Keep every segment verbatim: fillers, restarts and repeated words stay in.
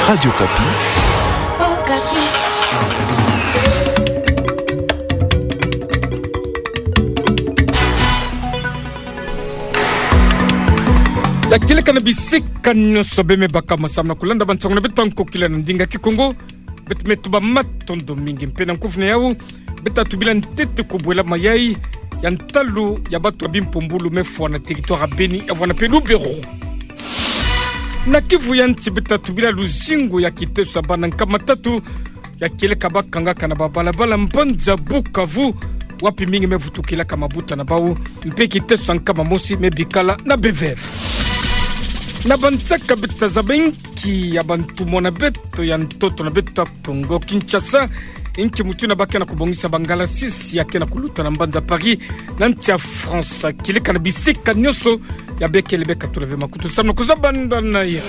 Radio Okapi. Okapi. Ya kieleka na bisika nyonso bê me baka masamu na kulanda bansango na beto ya nkokila na ndinga Kikongo. Beto me tuba matondo mingi mpe na nkufi na yau. Beto tubila ntete kubwela mayai ya ntalu ya bato ya bimpumbulu mefwa na territoire ya Beni, ya vwanda mpe Lubero. Na Kivu ya nsi beto tubila luzingu ya kiteso ya bana nkama tatu ya kieleka bakangaka na babalabala mbanza Bukavu, wapi mingi mevutukilaka mabuta na bau, mpe kiteso ya nkama mosi mebikala na B V F. Na bansaka beto zaba inki ya bantumwa na beto ya ntoto na beto Kongo Kinshasa, inki mutindu ba ke na kubongisa bangalasisi ya ke na kuluta na mbanza Paris, na nsi ya France, kieleka na bisika nyonso ya bikele beka tulave makutu samu na kuzabanda na ya.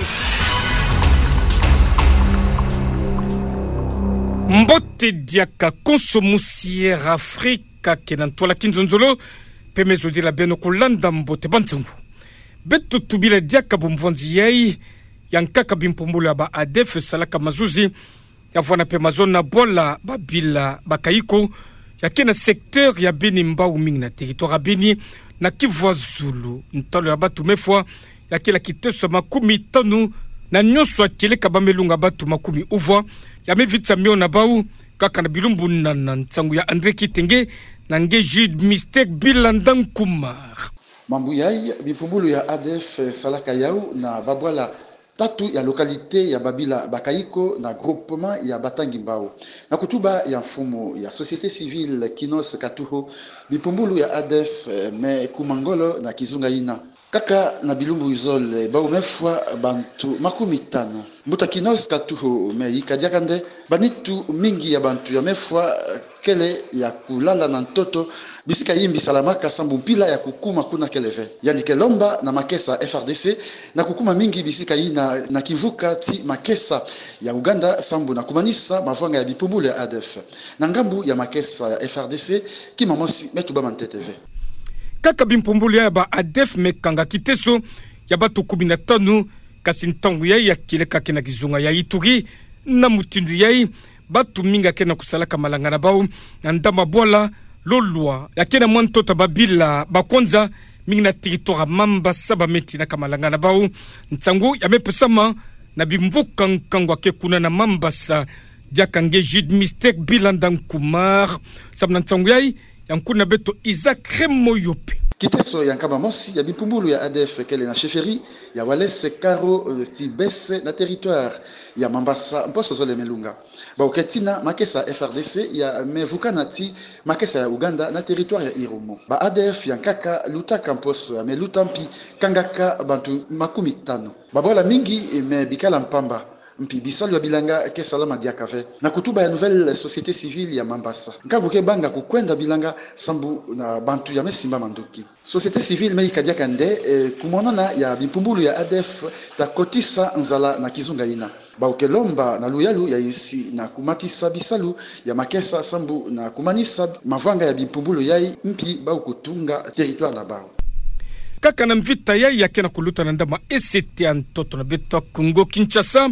Mbote diaka konso musi Air Afrique ke na ntwala kinzonzolo, mpe mezodila beno kulanda mbote bansango. Beto tubila diaka bumvwanzi yai ya nkaka bimpumbulu ya ba A D F salaka mazuzi ya vwanda mpe mazono na bwala babila bakayiko ya ke na secteur ya Beni, mbau mingi na territoire ya Beni, na Kivu ya zulu, ntalu ya bato mefwa ya kieleka kiteso ya makumi tanu, na nyonso ya kieleka bamelunga bato makumi uvwa ya mevitisa mio na bau, kaka na bilumbu nana. Nsangu ya André Kitenge na nge Jude Mystère Bilanda Nkumar. Mambu yai, bimpumbulu ya A D F salaka yau na babwala tatu ya localité ya babila bakayiko na groupement ya Batangi Mbao. Na kutuba ya mfumu ya société civile Kinos Katuho, bimpumbulu ya A D F me kuma ngolo na kizunga yina. Kaka na bilumbu zole, bau mefwa bantu makumi tanu. Mbuta Kinos Katuho me yika diaka nde ba nitu mingi ya bantu ya mefwa kele ya kulala na ntoto, bisika yimbi salamaka sambu mpila ya kukuma kuna kele ve. Yandi ke lomba na makesa F R D C na kukuma mingi bisika yina na kimvuka ti makesa ya Ouganda sambu na kumanisa mavwanga ya bimpumbulu ya A D F. Na ngambu ya makesa ya F R D C, kima mosi me tubama ntete ve. Kaka bimpumbulu ya ba A D F mekanga kiteso ya bato kumi na tanu, kasi ntangu yai ya kieleka ke na kizunga ya Ituri. Na mutindu yai, bato mingi ya ke na kusalaka malanga na bau na ndama bwala Lolwa, ya ke na mwa ntoto ya babila ba Kwanza, mingi na territoire ya Mambasa, ba me tinaka malanga na bau. Nsangu ya mepesama na bimvuka nkangu ya ke kuna na Mambasa, diaka nge Jude Mystère Bilanda Nkumar samu na nsangu yai, ya nkuna beto Isaac Remoyope. Kiteso ya nkama mosi ya bimpumbulu ya A D F kele na chefferie ya Walese Karo, eh, ti Bese na territoire ya Mambasa, mposo zole melunga. Bau ke tina makesa F R D C ya mevukana ti makesa ya Ouganda na territoire ya Irumu. Ba A D F ya nkaka lutaka mposo ya meluta mpi kangaka bantu makumi tanu. Babwala mingi mebikala mpamba, mpi bisalu ya bilanga ke salama diaka ve. Na kutuba ya Nouvelle Société Civile ya Mambasa, nkangu ke banga kukwenda bilanga sambu na bantu ya mesimba manduki. Société civile meyika diaka nde, eh, kumonana ya bimpumbulu ya A D F ta kotisa nzala na kizunga yina. Bau ke lomba na luyalu ya insi na kumatisa bisalu ya makesa sambu na kumanisa mavwanga ya bimpumbulu yai, mpi bau kutunga territoire na bau. Kaka na mvita yai ya ke na kuluta na ndama esete ya ntoto na beto Kongo Kinshasa,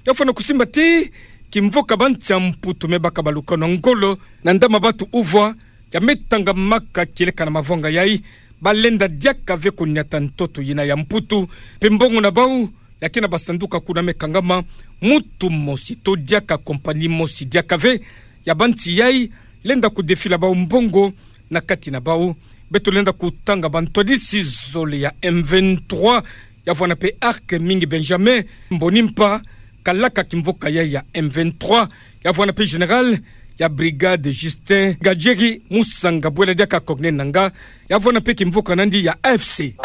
ya fwana kusimba ti kimvuka ba nsi ya Mputu mebaka balukanu ya ngolo na ndama bato uvwa ya metangamaka kieleka na mavwanga yai. Balenda diaka ve kunyata ntoto yina ya Mputu, mpe mbongo na bau ya ke na basanduka kuna mekangama. Mutu mosi to diaka compagnie mosi diaka ve ya ba nsi yai lenda kudefila bau mbongo na kati na bau. Beto lenda kutanga bantwadisi zole ya M vingt-trois, ya vwanda mpe Arc Mingi Benjamin Mbonimpa, kalaka kimvuka yai ya M vingt-trois, ya vwanda mpe général ya brigade Justin Gadjeri Musanga, bwela diaka Corneille Nangaa, ya vwanda mpe kimvuka nandi ya A F C.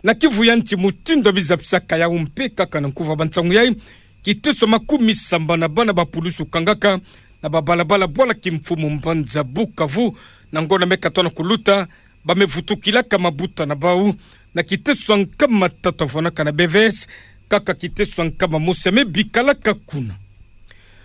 Na Kivu ya nsi, mutindu bizapisaka yau mpe kaka na nkuva bansangu yai, kiteso makumi samba na bana ba pulusu kangaka na babalabala bwala kimfumu mbanza Bukavu, na ngonda mekatona kuluta, ba mevutukilaka mabuta na bau na kiteso ya nkama tatu ya vwanaka na B V S, kaka kiteso ya nkama mosi ya mebikalaka kuna.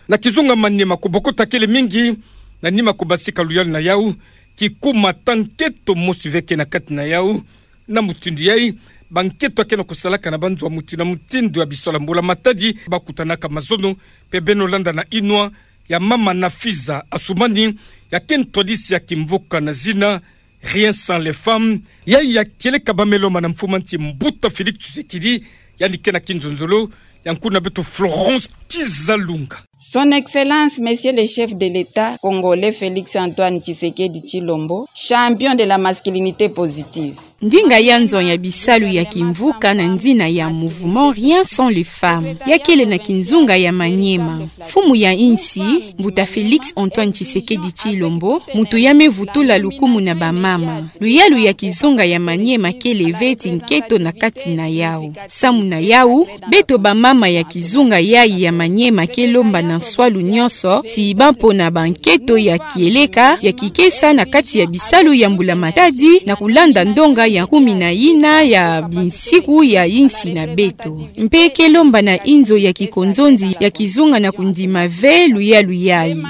Na kizunga Maniema, kubokota kele mingi na nima kubasika luyalu na yau, kikuma ta nketo mosi ve ke na kati na yau. Na mutindu yai, Banketo ya ke na kusalaka na banzo ya mutindu na mutindu ya bisola mbula matadi, bakutanaka mazono, mpe beno landa na inwa ya mama Nafiza Assoumani, ya ke ntwadisi ya kimvuka na zina Rien sans les femmes, yayi ya kieleka bamelo mana mfumu a nsi mbuta Félix Tshisekedi, yandi ke na kinzonzolo ya nkuna beto Florence Kizalunga. Son Excellence, Monsieur le Chef de l'État congolais Félix Antoine Tshisekedi Tshilombo, champion de la masculinité positive. Ndinga ya nzo ya bisalu ya kimvuka na nzina ya mouvement Rien sans les femmes, ya kele na kinzunga ya Maniema. Mfumu ya insi, mbuta Félix Antoine Tshisekedi Tshilombo, muntu ya me vutula lukumu na bamama. Luyalu ya kizunga ya Maniema kele ve ti nketo na kati na yawu. Samu na yawu, beto bamama ya kizunga yayi ya Maniema ke lomba na nswalu nyonso ti bampo na banketo ya kieleka ya kikesa na kati ya bisalu ya mbula matadi, na kulanda ndonga ya kumi na ina ya binsiku ya insi na beto. Mpe ke lomba na inzo ya kikonzonzi ya kizunga na kundima ve luyalu yayi.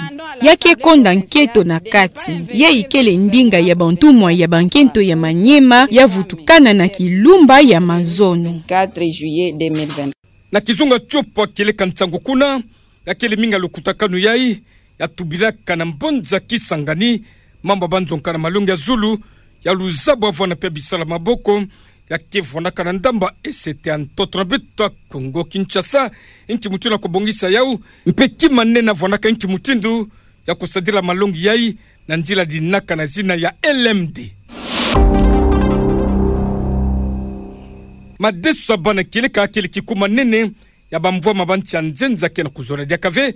Ya ke konda nketo na kati. Yayi kele ndinga ya bantumwa ya bankento ya Maniema ya vutukana na kilumba ya mazono. Quatre juillet deux mille vingt. Na kizunga tiopo ya kieleka nsangu kuna, ya kele mingi ya lukutakanu yayi ya tubilaka na mbanza Kisangani, mambu ya banzonga na malongi ya zulu, ya luzabu ya vwanda mpe ya bisala maboko, ya ke vwandaka na ndamba esete ya ntoto na beto ya Kongo Kinshasa, nki mutindu ya kubongisa yawu, mpe kima nene ya vwandaka nki mutindu ya kusadila malongi yayi, na nzila dinaka na zina ya L M D. Madeso ya bana kieleka kele kikuma nene ya bamvwama ba nsi ya nzenza ke na kuzola diaka ve,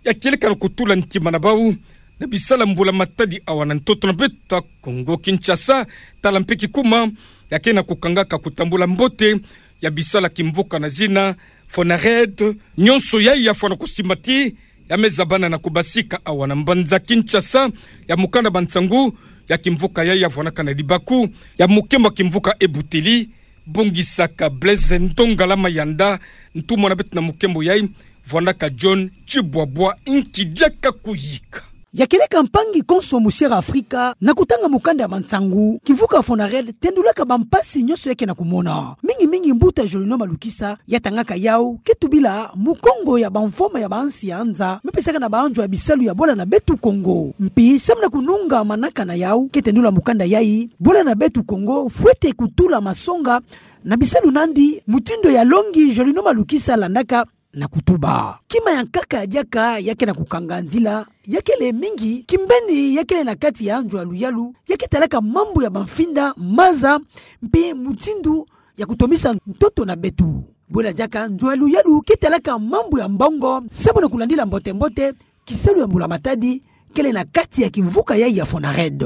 ya kieleka na kutula ntima na bawu na bisala mbula matadi awa na ntoto na beto ya Kongo Kinshasa, tala mpe kikuma ya ke na kukangaka kutambula mbote ya bisala kimvuka na zina Fonared. Nyonso yayi ya fwana kusimbati, ya me zabana na kubasika awa na mbanza Kinshasa, ya mukanda ba nsangu ya kimvuka yayi ya vwandaka na libaku ya mukembo ya kimvuka Ebuteli, bongisaka Blaise Ndongala Mayanda, ntumwa na beto na mukembo yayi, vwandaka John Tshibwabwa. Nki diaka kuyika. Ya kieleka mpangi konso musiere Afrika, na kutanga mukanda ya mansangu, kimvuka Fonared tendulaka bampasi nyonso ya ke na kumona. Mingi mingi mbuta Jolino Malukisa, ya tangaka yawu, ke tubila mukongo ya bamvwama ya bansi ya nza, me pesaka na banzo ya bisalu ya bwala na beto Kongo. Mpi, samu na kununga manaka na yawu, ke tendula mukanda yayi, bwala na beto Kongo fwete kutula masonga na bisalu nandi, mutindu ya longi Jolino Malukisa landaka na kutuba. Kima ya nkaka ya diaka ya ke na kukanga nzila, ya kele mingi, kimbeni ya kele na kati ya nzo ya luyalu, ya ke talaka mambu ya bamfinda, maza, mpe mutindu ya kutomisa ntoto na beto. Bwela diaka nzo ya luyalu ke talaka mambu ya mbongo, samu na kulandila mbote mbote kisalu ya mbula matadi kele na kati ya kimvuka yayi ya Fonared.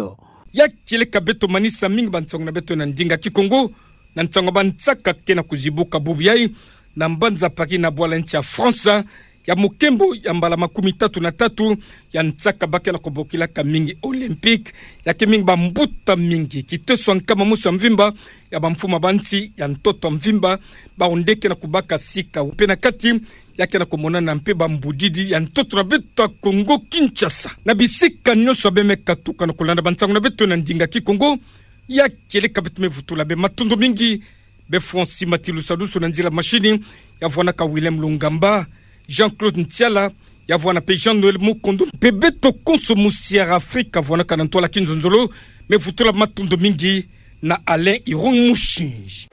Ya kieleka beto manisa mingi bansangu na beto na ndinga Kikongo, na nsangu ya bansaka ke na kuzibuka bubu yayi, na mbanza Paris na bwala nsi ya France, ya mukembo ya mbala makumi tatu na tatu ya nsaka ba ke na kubokilaka mingi Olympique, ya ke mingi bambuta mingi, kiteso ya nkama mosi ya mvimba ya bamfumu ya bansi ya ntoto ya mvimba, bawu nde ke na kubaka sika. Mpe na kati, ya ke na kumonana mpe bambudidi ya ntoto na beto ya Kongo Kinshasa. Na bisika nyonso ya beno me katuka na kulanda bansangu na beto na ndinga Kikongo, ya kieleka beto me vutula beno matondo mingi. Beno fwa nsi mati lusadusu na nzila mashini, ya vwandaka Willem Lungamba, Jean-Claude Ntiala, ya vwanda mpe Jean-Noël Mukundu, mpe beto konso musiere Afrika vwandaka na ntwala kinzonzolo, me vutula matondo mingi na Alain Irung Mushinji.